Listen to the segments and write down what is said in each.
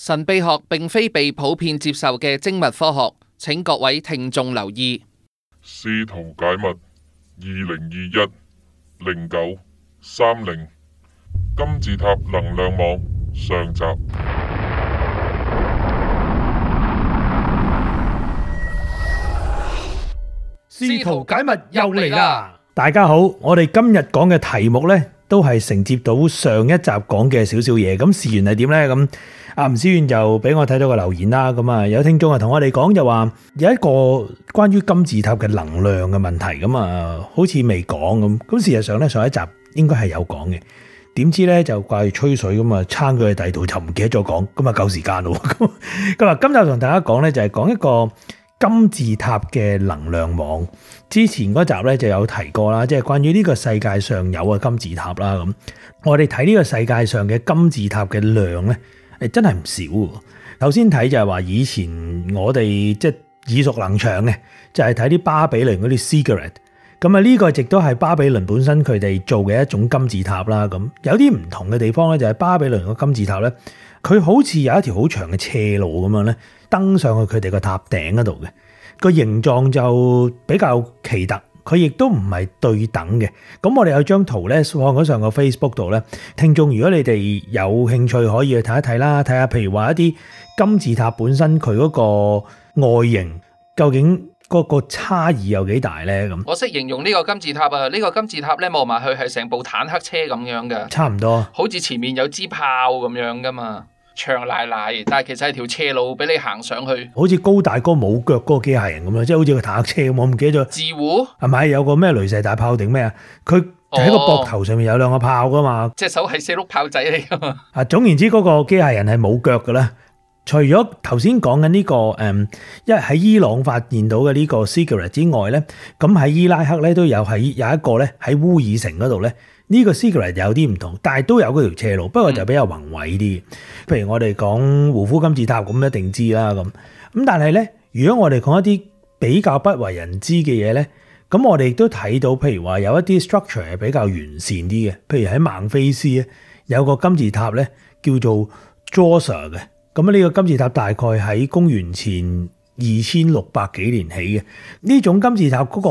神秘學並非被普遍接受嘅精密科學，請各位聽眾留意。試圖解密2021-09-30金字塔能量網上集。試圖解密又嚟啦！大家好，我哋今日講嘅題目呢，都係承接到上一集講嘅少少嘢。咁事緣係點呢？咁阿吳思遠就俾我睇到個留言啦。咁啊，有聽眾啊同我哋講就話有一個關於金字塔嘅能量嘅問題。咁啊，好似未講咁。咁事實上呢，上一集應該係有講嘅。點知呢，就掛住吹水咁啊，撐佢去第二度就唔記得咗講。咁啊，夠時間咯。咁啊，今集同大家講呢，就係講一個金字塔嘅能量網。之前嗰集咧就有提過啦，即係關於呢個世界上有嘅金字塔啦。咁我哋睇呢個世界上嘅金字塔嘅量咧，真係唔少。頭先睇就係話以前我哋即係耳熟能詳嘅，就係睇啲巴比倫嗰啲 ziggurat。咁啊，呢個亦都係巴比倫本身佢哋做嘅一種金字塔啦。咁有啲唔同嘅地方咧，就係巴比倫個金字塔咧，佢好似有一條好長嘅斜路咁樣咧，登上去佢哋個塔頂嗰度嘅。個形狀就比較奇特，佢亦都唔係對等嘅。咁我哋有張圖咧放咗上個 Facebook 度咧，聽眾如果你哋有興趣可以去睇一睇啦，睇下譬如話一啲金字塔本身佢嗰個外形究竟嗰個差異有幾大咧？咁我識形容呢個金字塔啊，呢個金字塔咧望埋去係成部坦克車咁樣嘅，差唔多，好似前面有支炮咁樣噶嘛。長賴賴，但係其實係條斜路俾你行上去，好似高大哥冇腳嗰個機械人咁樣，即係好似個坦克車咁。我唔記得咗自護係咪有個咩雷射大炮定咩啊？佢就喺個膊頭上面有兩個炮噶嘛，隻手係四碌炮仔嚟噶嘛。啊，總言之嗰個機械人係冇腳噶啦。除咗頭先講緊呢個因為喺伊朗發現到嘅呢個 ziggurat 之外咧，咁喺伊拉克咧都有一個咧喺烏爾城嗰度咧。呢個 ziggurat 有啲唔同，但係都有嗰條斜路，不過就比較宏偉啲。譬如我哋講胡夫金字塔咁，一定知啦咁。但係咧，如果我哋講一啲比較不為人知嘅嘢咧，咁我哋亦都睇到，譬如話有一啲 structure 係比較完善啲嘅。譬如喺孟菲斯咧，有個金字塔咧叫做 Djoser 嘅。咁呢個金字塔大概喺公元前2600幾年起嘅，呢種金字塔嗰個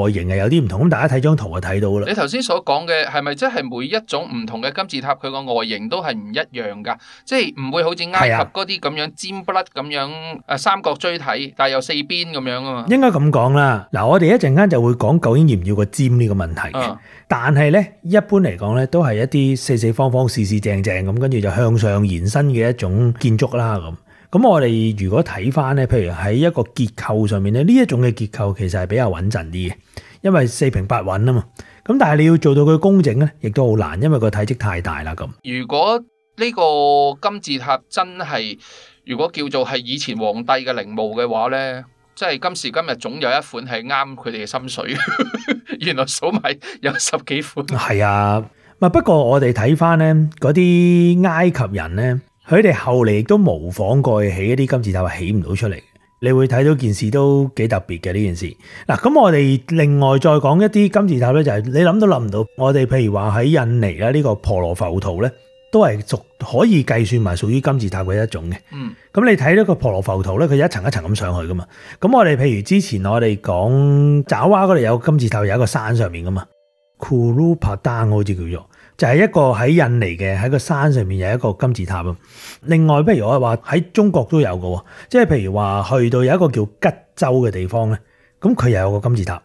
外形係有啲唔同，咁大家睇張圖就睇到啦。你頭先所講嘅係咪即係每一種唔同嘅金字塔佢個外形都係唔一樣㗎？即係唔會好似埃及嗰啲咁樣尖不甩咁樣三角錐體，但係有四邊咁樣啊嘛？應該咁講啦。嗱，我哋一陣間就會講究竟要唔要個尖呢個問題嘅。但係咧，一般嚟講咧，都係一啲四四方方、四四正正咁，跟住就向上延伸嘅一種建築啦咁。咁我哋如果睇翻咧，譬如喺一個結構上面咧，呢一種嘅結構其實係比較穩陣啲嘅，因為四平八穩啊嘛。咁但係你要做到佢工整咧，亦都好難，因為個體積太大啦咁。如果呢個金字塔真係，如果叫做係以前皇帝嘅陵墓嘅話咧，即係今時今日總有一款係啱佢哋嘅心水。原來數埋有10幾款。係啊，不過我哋睇翻咧嗰啲埃及人咧。佢哋後嚟亦都模仿過起一啲金字塔，係起唔到出嚟。你會睇到件事都幾特別嘅呢件事。嗱，咁我哋另外再講一啲金字塔咧，就係你諗都諗唔到。我哋譬如話喺印尼啦，呢個婆羅浮屠咧，都係可以計算埋屬於金字塔嘅一種嘅。咁你睇到個婆羅浮屠咧，佢一層一層咁上去噶嘛。咁我哋譬如之前我哋講爪哇嗰度有金字塔，有一個山上面噶嘛 Kuru Padang 好似叫做。就係一個喺印尼嘅喺個山上面有一個金字塔啊。另外，譬如我話喺中國都有嘅，即係譬如話去到有一個叫吉州嘅地方咧，咁佢又有個金字塔。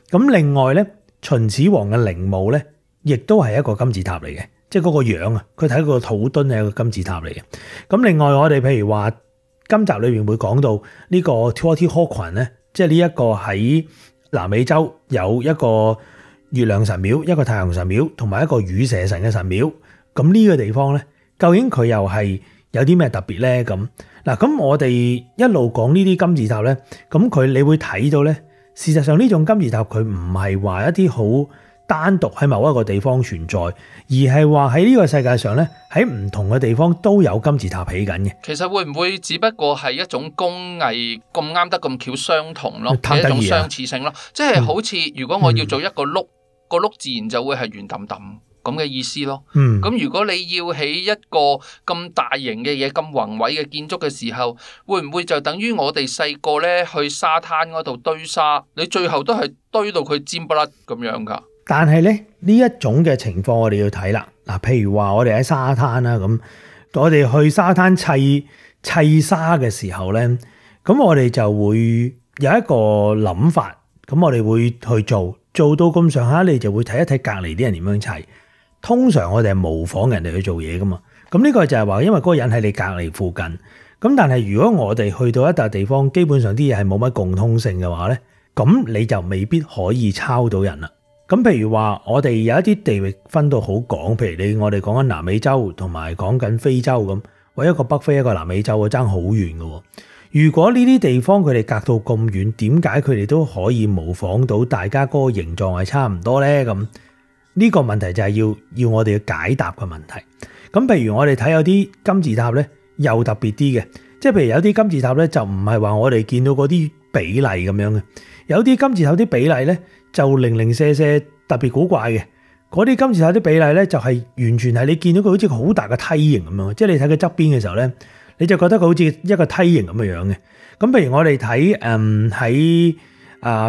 咁另外咧，秦始皇嘅陵墓咧，亦都係一個金字塔嚟嘅，即係嗰個樣啊，佢睇個土墩係一個金字塔嚟嘅。咁另外我哋譬如話今集裏面會講到呢個 Teotihuacan 咧，即係呢一個喺南美洲有一個月亮神廟，一個太陽神廟，同埋一個羽蛇神嘅神廟。咁呢個地方咧，究竟佢又係有啲咩特別咧？咁嗱，咁我哋一路講呢啲金字塔咧，咁你會睇到咧，事實上呢種金字塔佢唔係話一啲好單獨喺某一個地方存在，而係話喺呢個世界上咧，喺唔同嘅地方都有金字塔起緊嘅。其實會唔會只不過係一種工藝咁啱得咁巧相同咯，係一種相似性咯？即係好似如果我要做一個碌，個碌自然就會係圓揼揼。咁嘅意思咯。嗯，咁如果你要起一個咁大型嘅嘢、咁宏偉嘅建築嘅時候，會唔會就等於我哋細個咧去沙灘嗰度堆沙，你最後都係堆到佢尖不甩咁樣㗎？但係咧呢一種嘅情況我哋要睇啦。嗱，譬如話我哋喺沙灘啦，咁我哋去沙灘砌沙嘅時候咧，咁我哋就會有一個諗法，咁我哋會去做到咁上下，你就會睇一睇隔離啲人點樣砌。通常我哋係模仿人哋去做嘢噶嘛，咁呢個就係話，因為嗰個人喺你隔離附近。咁但係如果我哋去到一笪地方，基本上啲嘢係冇乜共通性嘅話咧，咁你就未必可以抄到人啦。咁譬如話，我哋有一啲地域分到好廣，譬如我哋講緊南美洲同埋講緊非洲咁，或一個北非一個南美洲，爭好遠嘅。如果呢啲地方佢哋隔到咁遠，點解佢哋都可以模仿到大家嗰個形狀係差唔多咧？咁呢個問題就係要我哋要解答嘅問題。咁譬如我哋睇有啲金字塔咧，又特別啲嘅，即係譬如有啲金字塔咧就唔係話我哋見到嗰啲比例咁樣嘅，有啲金字塔啲比例咧就零零舍舍特別古怪嘅。嗰啲金字塔啲比例咧就係完全係你見到佢好似個好大嘅梯形咁樣，即係你睇佢側邊嘅時候咧，你就覺得佢好似一個梯形咁嘅樣嘅。咁譬如我哋睇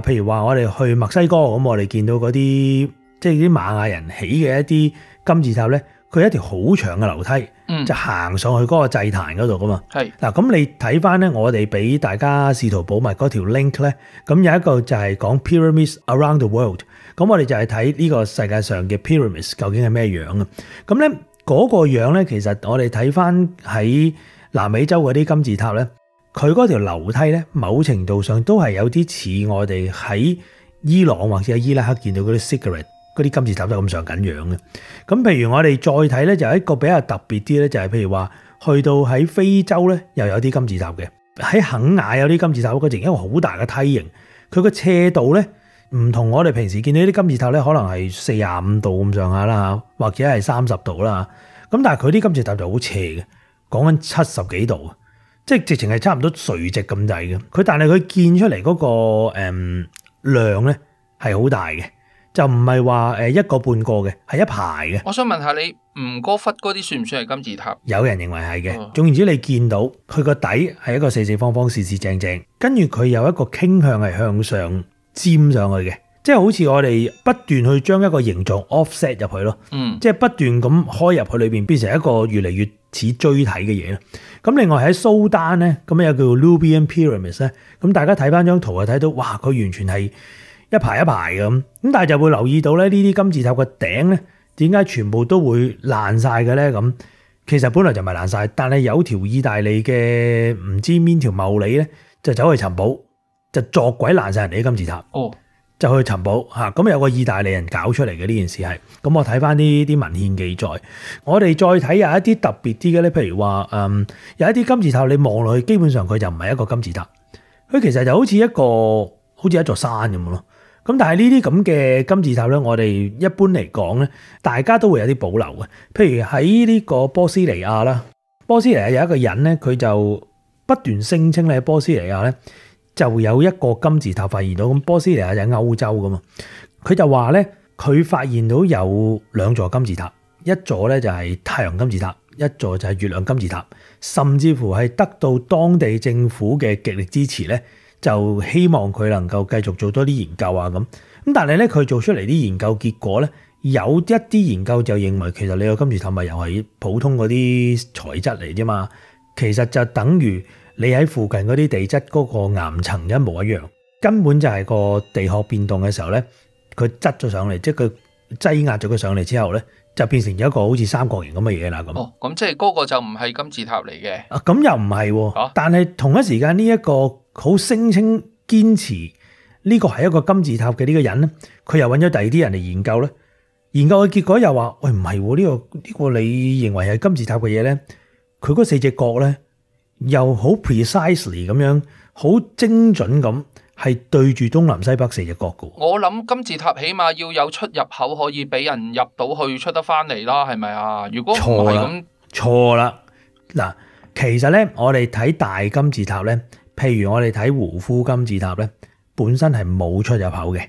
譬如話我哋去墨西哥咁，我哋見到嗰啲即係啲瑪雅人起嘅一啲金字塔咧，佢有一條好長嘅樓梯，就行上去嗰個祭壇嗰度噶嘛。係嗱，咁你睇翻咧，我哋俾大家試圖保密嗰條 link 咧，咁有一個就係講 Pyramids Around the World。咁我哋就係睇呢個世界上嘅 pyramids 究竟係咩樣啊？咁咧嗰個樣咧，其實我哋睇翻喺南美洲嗰啲金字塔咧，佢嗰條樓梯咧，某程度上都係有啲似我哋喺伊朗或者喺伊拉克見到嗰啲 ziggurat 嗰啲金字塔都咁上緊樣嘅。咁譬如我哋再睇咧，就係一個比較特別啲咧，就係譬如話去到喺非洲咧，又有啲金字塔嘅。喺肯亞有啲金字塔，嗰陣一個好大嘅梯形，佢個斜度咧，唔同我哋平時見到啲金字塔咧，可能係45度咁上下啦，或者係30度啦。咁但係佢啲金字塔就好斜嘅，講緊70幾度，即係直情係差唔多垂直咁滯嘅。但係佢建出嚟嗰個量咧係好大嘅，就唔係話一個半個嘅，係一排嘅。我想問下你，吳哥窟嗰啲算唔算係金字塔？有人認為係嘅。總言之，你見到佢個底係一個四四方方、四四正正，跟住佢有一個傾向係向上尖上去嘅，即係好似我哋不斷去將一個形狀 offset 入去咯，即係不斷咁開入去裏邊，變成一個越嚟越似錐體嘅嘢咯。咁另外喺蘇丹咧，咁有叫 Nubian Pyramids 咧，咁大家睇翻張圖就睇到，哇！佢完全係一排一排咁，咁但係就會留意到咧，呢啲金字塔嘅頂咧，點解全部都會爛晒嘅咧？咁其實本來就唔係爛晒，但係有條意大利嘅唔知邊條茂利咧，就走去尋寶。就作鬼爛晒人哋啲金字塔，就去尋寶嚇。咁有個意大利人搞出嚟嘅呢件事係，咁我睇翻啲文獻記載，我哋再睇有一啲特別啲嘅咧，譬如話有一啲金字塔你望落去，基本上佢就唔係一個金字塔，佢其實就好似一座山咁咯。咁但係呢啲咁嘅金字塔咧，我哋一般嚟講咧，大家都會有啲保留嘅。譬如喺呢個波斯尼亞啦，波斯尼亞有一個人咧，佢就不斷聲稱咧，波斯尼亞咧，就有一個金字塔發現到，咁波斯尼亞就喺歐洲噶嘛，佢就話咧，佢發現到有2座金字塔，一座咧就係太陽金字塔，一座就係月亮金字塔，甚至乎係得到當地政府嘅極力支持咧，就希望佢能夠繼續做多啲研究啊咁。咁但係咧，佢做出嚟啲研究結果咧，有一啲研究就認為其實你個金字塔咪又係普通嗰啲材質嚟啫嘛，其實就等於你喺附近嗰啲地質嗰個岩層一模一樣，根本就係個地殼變動嘅時候咧，佢擠咗上嚟，即係佢擠壓咗佢上嚟之後咧，就變成咗一個好似三角形咁嘅嘢啦咁。咁即係嗰個就唔係金字塔嚟嘅。咁又唔係喎，但係同一時間呢一個好聲稱堅持呢個係一個金字塔嘅呢個人咧，佢又揾咗第二啲人嚟研究咧，研究嘅結果又話：喂，唔係喎，呢個你認為係金字塔嘅嘢咧，佢嗰4隻角咧，又好 precisely 咁樣，好精準咁，係對住東南西北4隻角嘅。我諗金字塔起碼要有出入口可以俾人入到去出得翻嚟啦，係咪啊？如果唔係咁，錯啦。嗱，其實咧，我哋睇大金字塔咧，譬如我哋睇胡夫金字塔咧，本身係冇出入口嘅。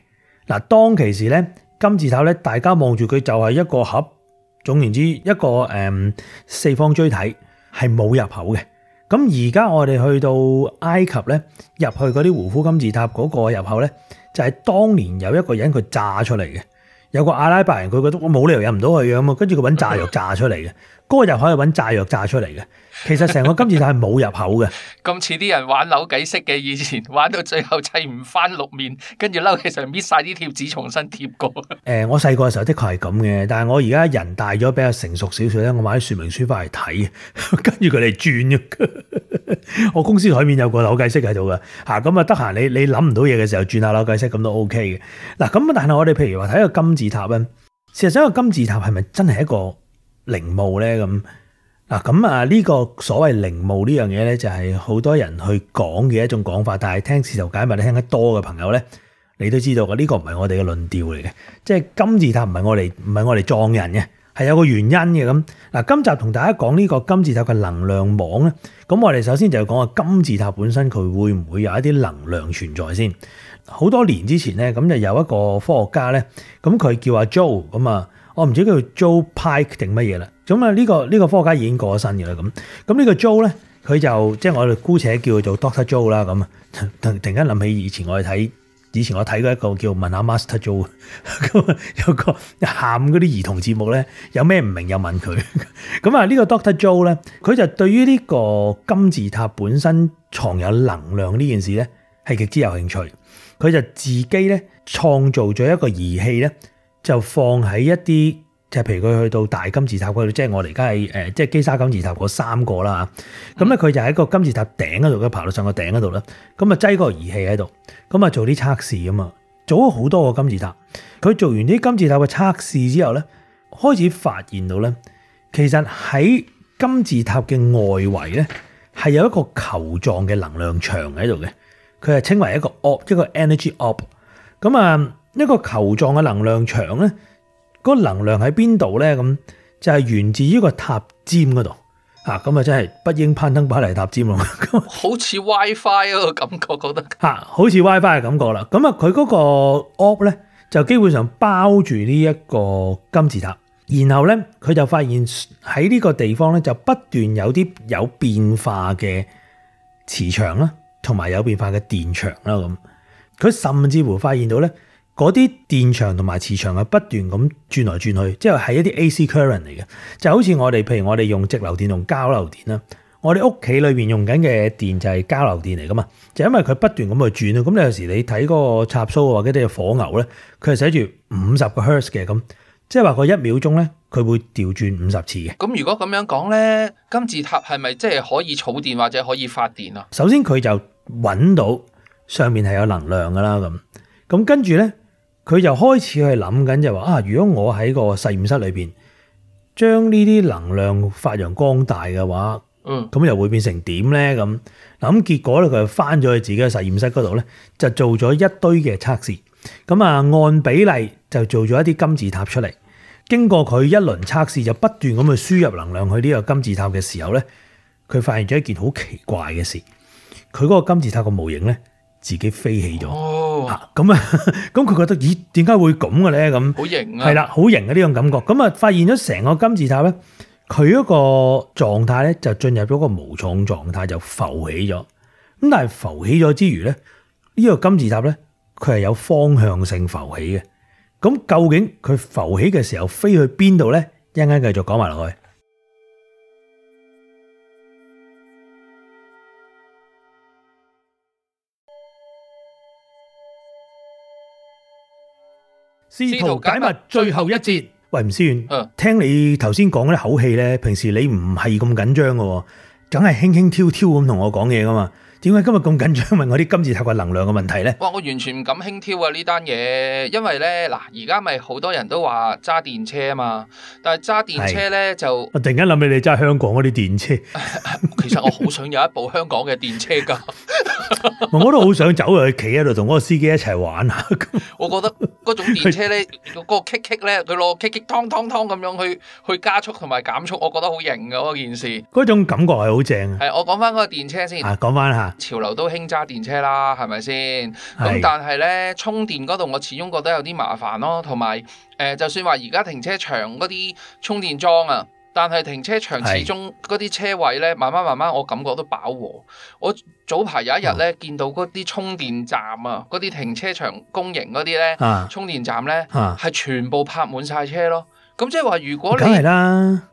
嗱，當其時咧，金字塔咧，大家望住佢就係一個盒，總言之一個四方錐體係冇入口嘅。咁而家我哋去到埃及咧，入去嗰啲胡夫金字塔嗰個入口咧，就係當年有一個人佢炸出嚟嘅，有個阿拉伯人佢覺得我冇理由入唔到去嘅咁啊，跟住佢揾炸藥炸出嚟嘅，嗰個入口係揾炸藥炸出嚟嘅。其實成個金字塔係冇入口嘅。咁似啲人玩扭計式嘅，以前玩到最後砌唔翻六面，跟住嬲起上搣晒啲貼紙重新貼過。我細個嘅時候的確係咁嘅，但係我而家人大咗比較成熟少少咧，我買啲說明書翻嚟睇，跟住佢哋轉嘅。我公司台面有個扭計式喺度嘅，咁啊得閒你諗唔到嘢嘅時候轉下扭計式咁都 OK 嘅。嗱咁但係我哋譬如話睇個金字塔咧，事實上個金字塔係咪真係一個陵墓咧咁？嗱咁啊呢個所謂陵墓呢樣嘢咧，就係好多人去講嘅一種講法，但係聽試圖解密你聽得多嘅朋友咧，你都知道嘅呢個唔係我哋嘅論調嚟嘅，即係金字塔唔係我哋撞人嘅，係有個原因嘅咁。嗱，今集同大家講呢個金字塔嘅能量網咧，咁我哋首先就講下金字塔本身佢會唔會有一啲能量存在先。好多年之前咧，咁就有一個科學家咧，咁佢叫阿 Joe 咁啊。我唔知叫 Joe Pike 定乜嘢啦，咁啊呢個科學家已經過咗身嘅啦，咁呢個 Joe 咧，佢就即係我哋姑且叫佢做 Doctor Joe 啦，咁突然間諗起以前我睇過一個叫問下 Master Joe， 咁有個喊嗰啲兒童節目咧，有咩唔明又問佢，咁啊呢個 Doctor Joe 咧，佢就對於呢個金字塔本身藏有能量呢件事咧係極之有興趣，佢就自己咧創造咗一個儀器咧。就放喺一啲，就譬如佢去到大金字塔嗰度，即係我哋而家係即係基沙金字塔嗰3個啦。咁咧佢就喺個金字塔頂嗰度，佢爬到上個頂嗰度啦。咁啊擠個儀器喺度，咁啊做啲測試啊嘛，做咗好多個金字塔。佢做完啲金字塔嘅測試之後咧，開始發現到咧，其實喺金字塔嘅外圍咧係有一個球狀嘅能量場喺度嘅，佢係稱為一個 energy orb。咁啊。一個球狀嘅能量場咧，嗰個能量喺邊度咧？咁就係源自於個塔尖嗰度嚇，咁啊真係不應攀登巴黎塔尖咯。好似 WiFi 嗰個感覺，覺得好似 WiFi 嘅感覺啦。咁啊，佢嗰個 orb 咧就基本上包住呢一個金字塔，然後咧佢就發現喺呢個地方咧就不斷有啲有變化嘅磁場啦，同埋有變化嘅電場啦。咁佢甚至乎發現到咧。嗰啲電場同埋磁場係不斷咁轉來轉去，即係係一啲 AC current 嚟嘅，就好似譬如我哋用直流電同交流電啦，我哋屋企裏邊用緊嘅電就係交流電嚟噶嘛，就因為佢不斷咁去轉，咁你有時你睇嗰個插蘇或者啲火牛咧，佢係寫住50個 hertz 嘅，咁即係話佢1秒鐘咧，佢會調轉50次嘅。咁如果咁樣講咧，金字塔係咪即係可以儲電或者可以發電啊？首先佢就揾到上面係有能量噶啦，咁跟住咧。佢就開始去諗緊就話如果我喺個實驗室裏邊將呢啲能量發揚光大嘅話，咁又會變成點咧？咁結果咧，佢就翻咗去自己嘅實驗室嗰度咧，就做咗一堆嘅測試。咁按比例就做咗一啲金字塔出嚟。經過佢一輪測試，就不斷咁去輸入能量去呢個金字塔嘅時候咧，佢發現咗一件好奇怪嘅事。佢嗰個金字塔個模型咧，自己飛起咗。咁佢覺得咦，點解會咁嘅咧？咁好型啊！係啦，好型嘅呢種感覺。咁啊，發現咗成個金字塔咧，佢嗰個狀態咧就進入咗個無重狀態，就浮起咗。咁但係浮起咗之餘咧，呢個金字塔咧，佢係有方向性浮起嘅。咁究竟佢浮起嘅時候飛去邊度咧？一陣間繼續講埋落去。試圖解密最後一節。喂，吳思遠，聽你頭先講嗰啲口氣咧，平時你唔係咁緊張嘅，梗係輕輕佻佻咁同我講嘢噶嘛？點解今日咁緊張問我啲金字塔嘅能量嘅問題咧？哇！我完全唔敢輕佻啊呢單嘢，因為咧嗱，而家咪好多人都話揸電車啊嘛，但係揸電車咧就我突然間諗起你揸香港嗰啲電車，其實我好想有一部香港嘅電車㗎。我都好想走去企喺度同嗰個司機一齊玩下。我覺得嗰種電車咧，嗰個 kick 咧，佢攞 kick 湯咁樣去加速同埋減速，我覺得好型㗎嗰件事。嗰種感覺係好正。係，我講翻嗰個電車先。講翻下，潮流都興揸電車啦，係咪先？咁但係咧，充電嗰度我始終覺得有啲麻煩咯，同埋就算話而家停車場嗰啲充電樁啊。但係停車場始終嗰啲車位咧，慢慢我感覺都飽和。我早排有一日咧，見到嗰啲充電站啊，嗰啲停車場公營嗰啲咧，充電站咧係全部泊滿晒車咯。咁即係話，如果你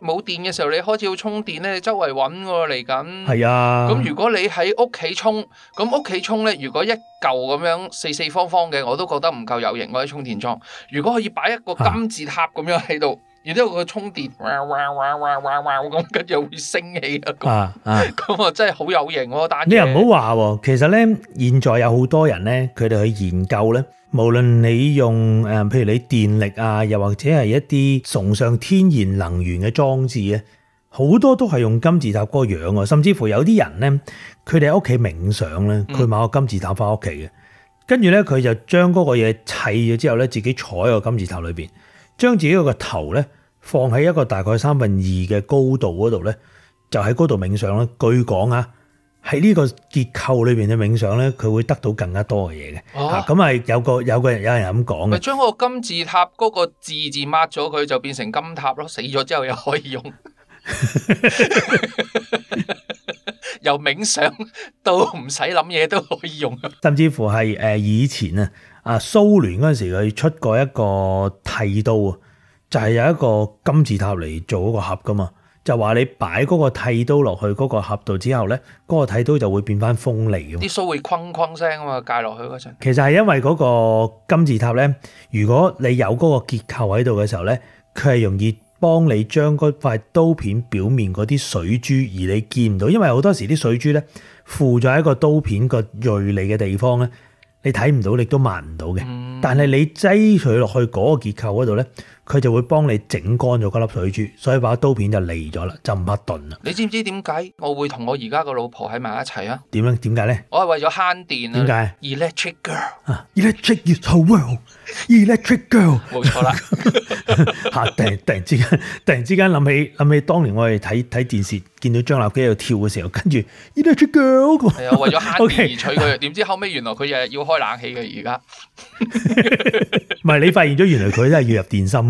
冇電嘅時候，你開始要充電咧，你周圍揾喎嚟緊。係啊。咁如果你喺屋企充，咁屋企充咧，如果一嚿咁樣四方方嘅，我都覺得唔夠有型嗰啲充電樁。如果可以擺一個金字塔咁樣喺度。然之後佢充電，咁跟住會升起啊！咁啊真係好有型喎！但你又唔好話喎，其實咧現在有好多人咧，佢哋去研究咧，無論你用譬如你電力啊，又或者係一啲崇尚天然能源嘅裝置咧，好多都係用金字塔嗰個樣啊！甚至乎有啲人咧，佢哋喺屋企冥想咧，佢買個金字塔翻屋企嘅，跟住咧佢就將嗰個嘢砌咗之後咧，自己坐喺個金字塔裏邊。將自己個頭咧放喺一個大概2/3嘅高度嗰度咧，就喺嗰度冥想咧。據講啊，喺呢個結構裏邊嘅冥想咧，佢會得到更加多嘅嘢嘅。咁係有人咁講嘅。咪將個金字塔嗰個字抹咗佢，就變成金塔咯。死咗之後又可以用。由冥想到唔使諗嘢都可以用。甚至乎係以前蘇聯嗰陣時佢出過一個剃刀啊，就係有一個金字塔嚟做嗰個盒噶嘛，就話你擺嗰個剃刀落去嗰個盒度之後咧，嗰個剃刀就會變翻鋒利嘅。啲鬚會哐聲啊嘛，戒落去嗰陣。其實係因為嗰個金字塔咧，如果你有嗰個結構喺度嘅時候咧，佢係容易幫你將嗰塊刀片表面嗰啲水珠，而你見唔到，因為好多時啲水珠咧附咗喺個刀片個銳利嘅地方咧。你睇唔到，你都抹唔到嘅。但係你擠佢落去嗰個結構嗰度咧，佢就會幫你整乾咗嗰粒水珠，所以把刀片就利咗啦，就唔怕鈍啦。你知唔知點解我會同我而家個老婆喺埋一齊啊？點解咧？我係為咗慳電啊！點解 ？Electric girl，Electric is her world，Electric girl。冇錯啦。突然之間諗起當年我哋睇電視，見到張立基喺度跳嘅時候，跟住 Electric girl。係啊，為咗慳電而娶佢，點知後尾原來佢日日要開冷氣嘅而家。唔係你發現咗，原來佢都係要入電芯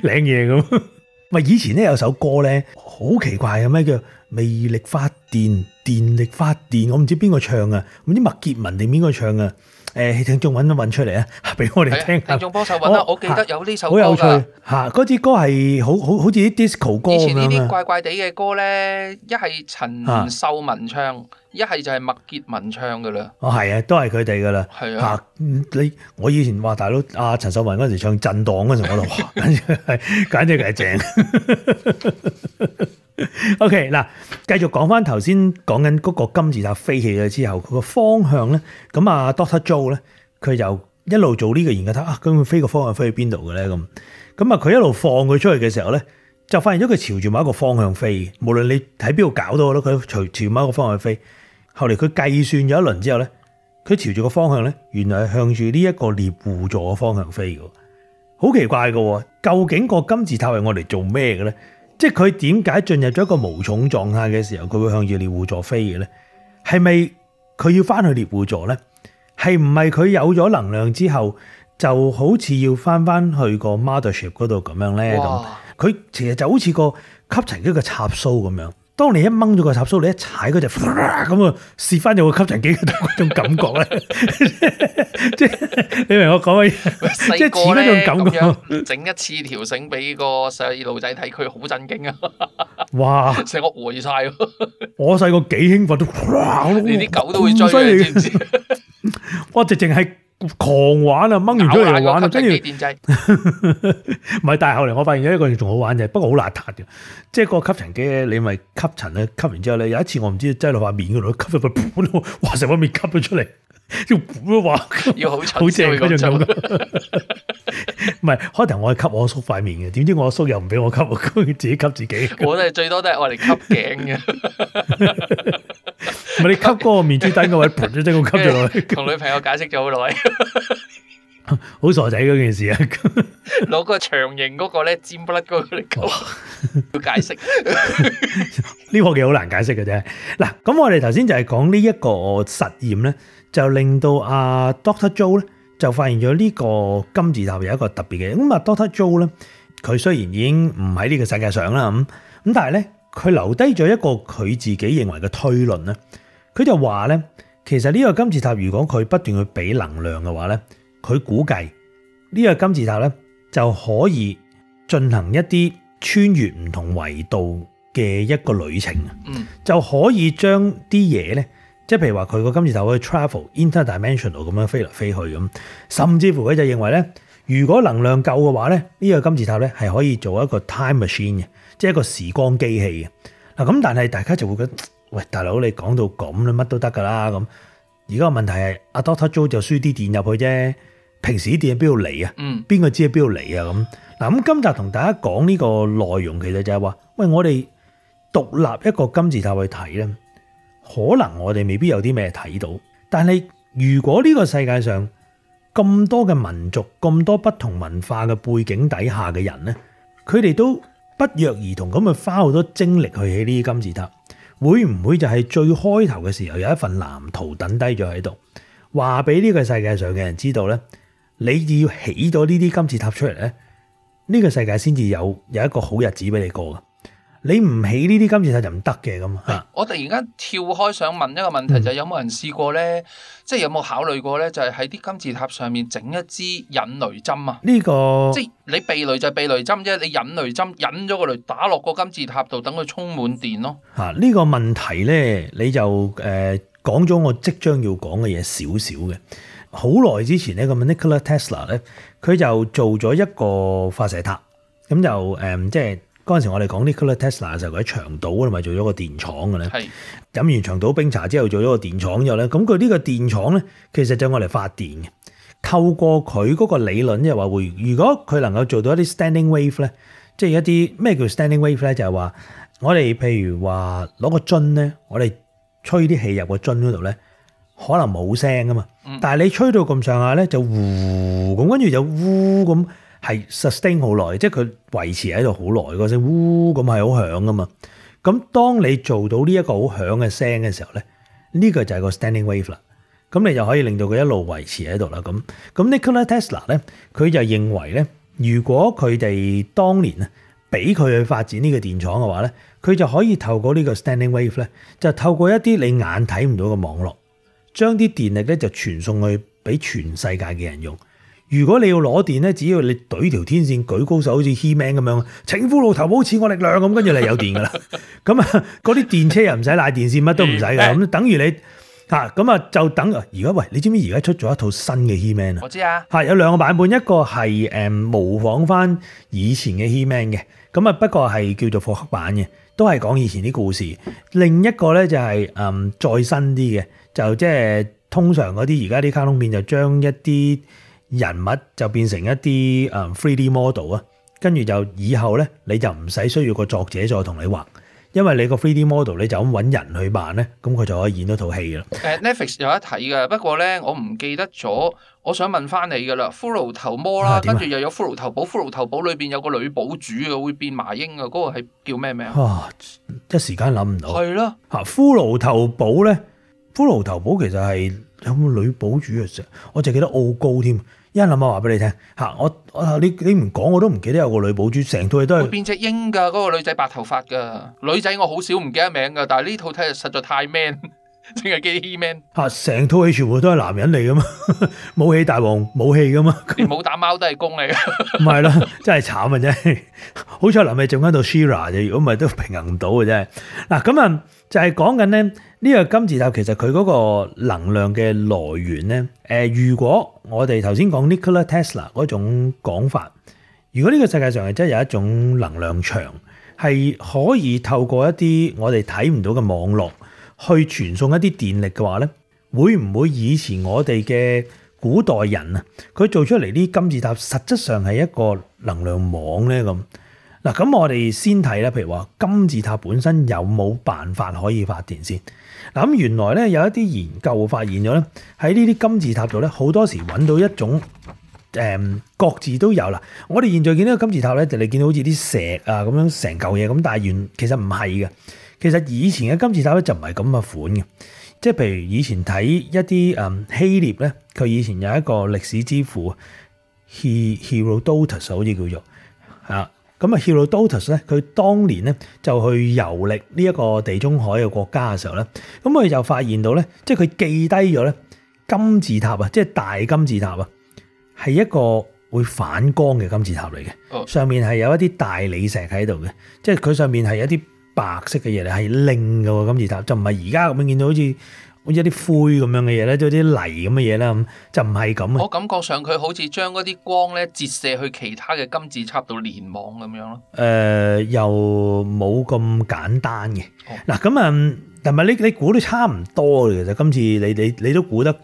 領嘢咁。咪以前咧有首歌咧好奇怪嘅，咩叫魅力發電，電力發電？我唔知邊個唱啊，唔知麥潔文定邊個唱啊？聽眾揾出嚟啊，俾我哋聽下。聽眾幫手揾啦，我記得有呢首歌㗎。好有趣嚇，嗰支歌係好似啲 disco 歌咁樣。以前呢啲怪怪地嘅歌咧，一係陳秀雯唱，一係就係麥潔文唱㗎啦。哦，係啊，都係佢哋㗎啦。係啊，我以前話大佬陳秀雯嗰陣時唱震盪嗰陣，我就哇，簡直係正。OK 嗱，繼續講翻頭先講緊嗰個金字塔飛起咗之後，佢個方向咧，咁Dr. Joe 咧，佢就一路做呢個研究，睇咁佢飛個方向飛去邊度嘅咧咁，佢一路放佢出去嘅時候咧，就發現咗佢朝住某一個方向飛，無論你喺邊度搞到咯，佢朝住某一個方向飛。後嚟佢計算咗一輪之後咧，佢朝住個方向咧，原來係向住呢一個獵戶座嘅方向飛嘅，好奇怪嘅，究竟個金字塔係我嚟做咩嘅咧？即係佢點解進入咗一個無重狀態嘅時候，佢會向住獵戶座飛嘅咧？係咪佢要翻去獵戶座咧？係唔係佢有咗能量之後，就好似要翻去個 mothership 嗰度咁樣咧？咁佢其實就好似個吸塵機嘅插蘇咁樣。當你一掹咗個插蘇，你一踩嗰隻咁啊，試翻咗個吸塵機嗰種感覺咧，即係你明我講嘅嘢，即係似嗰種感覺。整一次條繩俾個細路仔睇，佢好震驚啊！哇，成個呆晒。我細個幾興奮都，你啲狗都會追嘅，知唔知？我直情係狂玩啊，掹完出嚟玩啊，跟住電掣。唔係，但係後嚟我發現有一個仲好玩嘅，不過好邋遢嘅，即係個吸塵機咧，你咪吸塵咧，吸完之後咧，有一次我唔知擠落塊面嗰度，吸咗佢盤，哇！成塊面吸咗出嚟，要盤話要好好正嗰種感覺。唔係開頭我係吸我叔塊面嘅，點知我叔又唔俾我吸，佢自己吸自己。我都係最多都係我嚟吸頸嘅。咪你吸嗰個面珠燈嗰位，噗一聲咁吸咗落去，同女朋友解釋咗好耐，好傻仔嗰件事啊！攞個長形嗰個咧尖不甩嗰個嚟講，要解釋。呢個嘢好難解釋嘅啫。嗱，咁我哋頭先就係講呢一個實驗咧，就令到阿 Dr. Joe 咧就發現咗呢個金字塔有一個特別嘅。咁啊 Dr. Joe 咧，佢雖然已經唔喺呢個世界上啦，咁但係咧佢留低咗一個佢自己認為嘅推論咧。佢就話咧，其實呢個金字塔如果佢不斷去俾能量嘅話咧，佢估計呢個金字塔咧就可以進行一啲穿越唔同維度嘅一個旅程，就可以將啲嘢咧，即係譬如話佢個金字塔可以 travel interdimensional 咁樣飛嚟飛去咁，甚至乎佢就認為咧，如果能量夠嘅話咧，呢個金字塔咧係可以做一個 time machine 嘅，即係一個時光機器嘅。嗱咁，但係大家就會覺得，喂，大佬你講到咁咧，乜都得噶啦咁。而家個問題係阿 Dr. Joe 就輸啲電入去啫，平時啲電喺邊度嚟啊？邊個知喺邊度嚟啊？咁嗱，咁今集同大家講呢個內容，其實就係話，喂，我哋獨立一個金字塔去睇咧，可能我哋未必有啲咩睇到，但係如果呢個世界上咁多嘅民族、咁多不同文化嘅背景底下嘅人咧，佢哋都不約而同咁去花好多精力去起呢啲金字塔，會唔會就係最開頭嘅時候有一份藍圖等低咗喺度，話俾呢個世界上嘅人知道咧，你要起咗呢啲金字塔出嚟咧，呢個世界先至有一個好日子俾你過噶。你唔起呢啲金字塔就唔得嘅咁啊！我突然間跳開想問一個問題，就係有冇人試過咧？即係有冇考慮過咧？就係喺啲金字塔上面整一支引雷針啊！呢個即係你避雷就係避雷針啫，你引雷針引咗個雷打落個金字塔度，等佢充滿電咯。呢個問題咧，你就講咗我即將要講嘅嘢少少嘅。好耐之前咧，咁 Nikola Tesla 咧，佢就做咗一個發射塔，咁就即係。嗰陣時我哋講 Nikola Tesla 嘅時候，佢喺長島嗰度咪做咗個電廠嘅咧。係飲完長島冰茶之後做咗個電廠之後咧，咁佢呢個電廠咧，其實就我嚟發電嘅。透過佢嗰個理論，即係話會，如果佢能夠做到一啲 standing wave 咧，即係一啲咩叫 standing wave 咧，就係話我哋譬如話攞個樽咧，我哋吹啲氣入個樽嗰度咧，可能冇聲噶嘛。但係你吹到咁上下咧，就呼咁，跟住就呼咁。係 sustain 好耐，即係佢維持喺度好耐，嗰聲呼咁係好響噶嘛。咁當你做到呢一個好響嘅聲嘅時候咧，呢個就係個 standing wave 啦。咁你就可以令到佢一路維持喺度啦。咁 Nikola Tesla 咧，佢就認為咧，如果佢哋當年啊俾佢去發展呢個電廠嘅話咧，佢就可以透過呢個 standing wave 咧，就透過一啲你眼睇唔到嘅網絡，將啲電力咧就傳送去俾全世界嘅人用。如果你要攞電咧，只要你懟條天線舉高手，好似 He-Man 咁樣，請呼路頭保賜我力量咁，跟住你有電噶啦。咁啊，嗰啲電車又唔使拉電線，乜都唔使嘅。咁等於你咁啊就等。而家喂，你知唔知而家出咗一套新嘅 He-Man 啊？我知啊。有兩個版本，一個係模仿翻以前嘅 He-Man 嘅，咁啊不過係叫做復刻版嘅，都係講以前啲故事。另一個咧就係再新啲嘅，就即係通常嗰啲而家啲卡通片就將一啲人物就變成一啲 3D model 啊，跟住就以後咧你就唔使需要個作者再同你畫，因為你個 3D model 你就咁揾人去扮咧，咁佢就可以演到套戲啦。Netflix 有得睇嘅，不過咧我唔記得咗，我想問翻你噶啦，骷髏頭魔啦，跟住又有骷髏頭堡，骷髏頭堡裏邊有個女堡主嘅，會變麻鷹嘅，嗰個係叫咩名啊？一時間諗唔到。係咯，骷髏頭堡咧，骷髏頭堡其實係有冇女堡主嘅時候，我就記得奧高添。一諗下話俾你聽嚇，你唔講我都唔記得有個女堡主，成套嘢都係變隻鷹㗎，嗰個女仔白頭髮㗎，女仔我好少唔記得名㗎，但係呢套睇實在太 man，淨係記得 He-Man 嚇，成套戲全部都係男人嚟㗎嘛，武器大王武器㗎嘛，連冇打貓都係公嚟㗎，唔係啦，真係慘啊真係，好彩臨尾仲喺度 She-Ra 啫，如果唔係都平衡唔到嘅真係。嗱咁啊就係講緊咧呢個金字塔其實佢嗰個能量嘅來源咧，如果我哋頭先講 Nikola Tesla 嗰種講法，如果呢個世界上係真係有一種能量場，係可以透過一啲我哋睇唔到嘅網絡去傳送一啲電力嘅話咧，會唔會以前我哋嘅古代人啊，佢做出嚟啲金字塔實質上係一個能量網咧咁？嗱，咁我哋先睇咧，譬如話金字塔本身有冇辦法可以發電先？嗱，咁原來咧有一啲研究發現咗咧，喺呢啲金字塔度咧，好多時揾到一種各自都有啦。我哋現在見到個金字塔咧，就你見到好似啲石啊咁樣成嚿嘢咁，但係其實唔係嘅。其實以前嘅金字塔咧就唔係咁嘅款嘅，即係譬如以前睇一啲希臘咧，佢以前有一個歷史之父 Herodotus 好似叫做嚇。咁啊 Herodotus 咧，佢當年咧就去遊歷呢一個地中海嘅國家嘅時候咧，咁佢就發現到咧，即係佢記低咗咧金字塔啊，即係大金字塔啊，係一個會反光嘅金字塔嚟嘅，上面係有一啲大理石喺度嘅，即係佢上面係一啲白色嘅嘢嚟，係靚嘅喎金字塔，就唔係而家咁樣見到好似一啲灰咁樣嘅嘢咧，即係啲泥咁嘅嘢啦，咁就唔係咁。我感覺上佢好似將嗰啲光咧折射去其他嘅金字塔度連網咁樣咯。又冇咁簡單嘅。嗱咁啊，但係你估都差唔多嘅，其實今次你都估得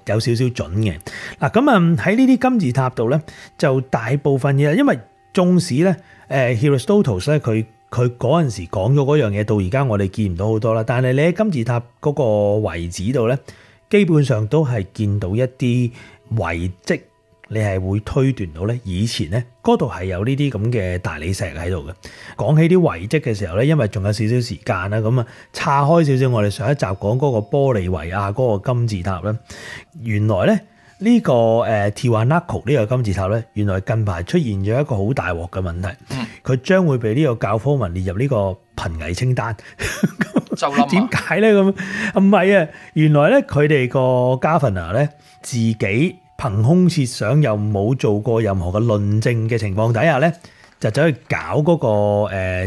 有少少準嘅。嗱咁啊喺呢啲金字塔度咧，就大部分嘢，因為縱使咧Herodotus 咧佢嗰陣時講咗嗰樣嘢，到而家我哋見唔到好多啦。但係你喺金字塔嗰個遺址度咧，基本上都係見到一啲遺跡，你係會推斷到咧，以前咧嗰度係有呢啲咁嘅大理石喺度嘅。講起啲遺跡嘅時候咧，因為仲有少少時間啦，咁啊岔開少少，我哋上一集講嗰個玻利維亞嗰個金字塔咧，原來咧呢個Tiwanaku 呢個金字塔咧，原來近排出現咗一個好大鑊嘅問題，佢將會被呢個教科文列入呢個瀕危清單。就諗點解咧咁？唔係啊，原來咧佢哋個 Governor 咧自己憑空設想，又冇做過任何嘅論證嘅情況底下咧，就走去搞嗰個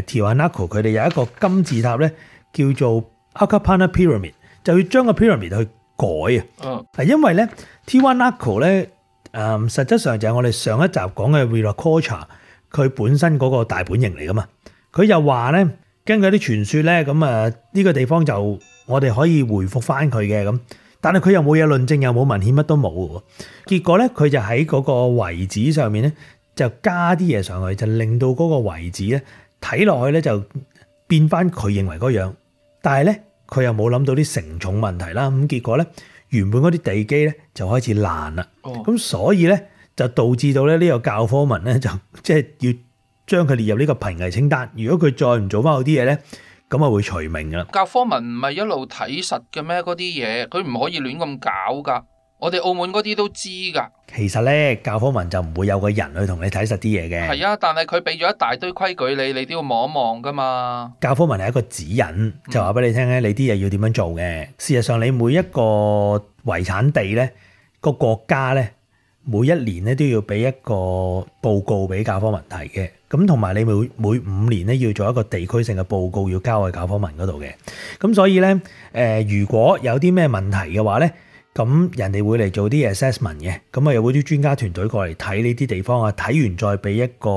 Tiwanaku，佢哋有一個金字塔咧叫做 Akapana Pyramid， 就要將個 pyramid 去改啊。係因為咧 Tiwanaku 咧實質上就係我哋上一集講嘅 Viracocha， 佢本身嗰個大本營嚟噶嘛。佢又話咧，根據啲傳說咧，咁啊呢個地方就我哋可以回復翻佢嘅咁，但係佢又冇嘢論證，又冇文獻，乜都冇喎。結果咧，佢就喺嗰個遺址上面咧，就加啲嘢上去，就令到嗰個遺址咧睇落去咧就變翻佢認為嗰樣，但係咧佢又冇諗到啲承重問題啦。咁結果咧，原本嗰啲地基咧就開始爛啦。咁所以咧就導致到咧呢個教科文咧就即係要將佢列入呢個瀕危清單。如果佢再唔做翻好啲嘢咧，咁啊會除名噶啦。教科文唔係一路睇實嘅咩？嗰啲嘢佢唔可以亂咁搞噶。我哋澳門嗰啲都知噶。其實咧，教科文就唔會有個人去同你睇實啲嘢嘅。係啊，但係佢俾咗一大堆規矩你都要望一望噶嘛。教科文係一個指引，就話俾你聽咧，你啲嘢要點樣做嘅。事實上，你每一個遺產地咧，個國家咧，每一年咧都要俾一個報告俾教科文睇嘅。咁同埋你每5年咧要做一個地區性嘅報告，要交去教科文嗰度嘅。咁所以咧，如果有啲咩問題嘅話咧，咁人哋會嚟做啲 assessment 嘅，咁啊有啲專家團隊過嚟睇呢啲地方啊，睇完再俾一個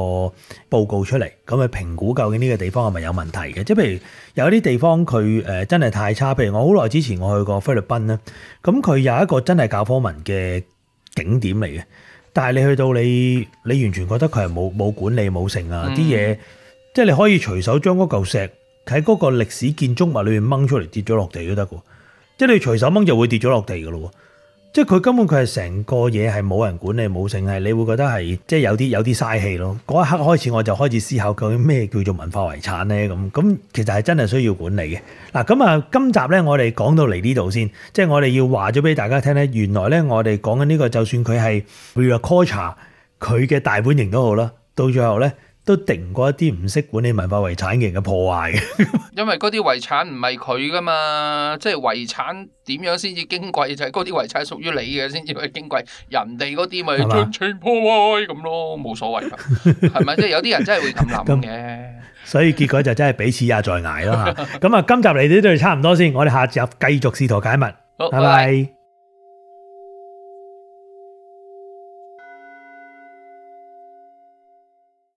報告出嚟，咁啊評估究竟呢個地方係咪有問題嘅。即係譬如有啲地方佢真係太差，譬如我好耐之前我去過菲律賓啦，咁佢有一個真係教科文嘅景點嚟嘅，但係你去到你完全覺得佢係冇管理冇成啊，啲嘢即係你可以隨手將嗰嚿石喺嗰個歷史建築物裏面掹出嚟跌咗落地都得喎。即係你隨手掹就會跌咗落地㗎咯，即係佢根本佢係成個嘢係冇人管理冇成，係你會覺得係即係有啲嘥氣咯。嗰一刻開始我就開始思考究竟咩叫做文化遺產咧咁其實係真係需要管理嘅。嗱咁啊，今集咧我哋講到嚟呢度先，即係我哋要話咗俾大家聽咧，原來咧我哋講緊呢個就算佢係 Viracocha 佢嘅大本營都好啦，到最後咧都敵唔過一啲唔識管理文化遺產嘅人嘅破壞嘅。因為嗰啲遺產唔係佢噶嘛，即係遺產點樣先至矜貴，就係嗰啲遺產屬於你嘅先至係矜貴，人哋嗰啲咪盡情破壞咁咯，冇所謂噶，係咪？即係有啲人真係會咁諗嘅。所以結果就真係彼此也在捱咯嚇。咁啊，今集嚟呢度差唔多先，我哋下集繼續試圖解密。拜拜。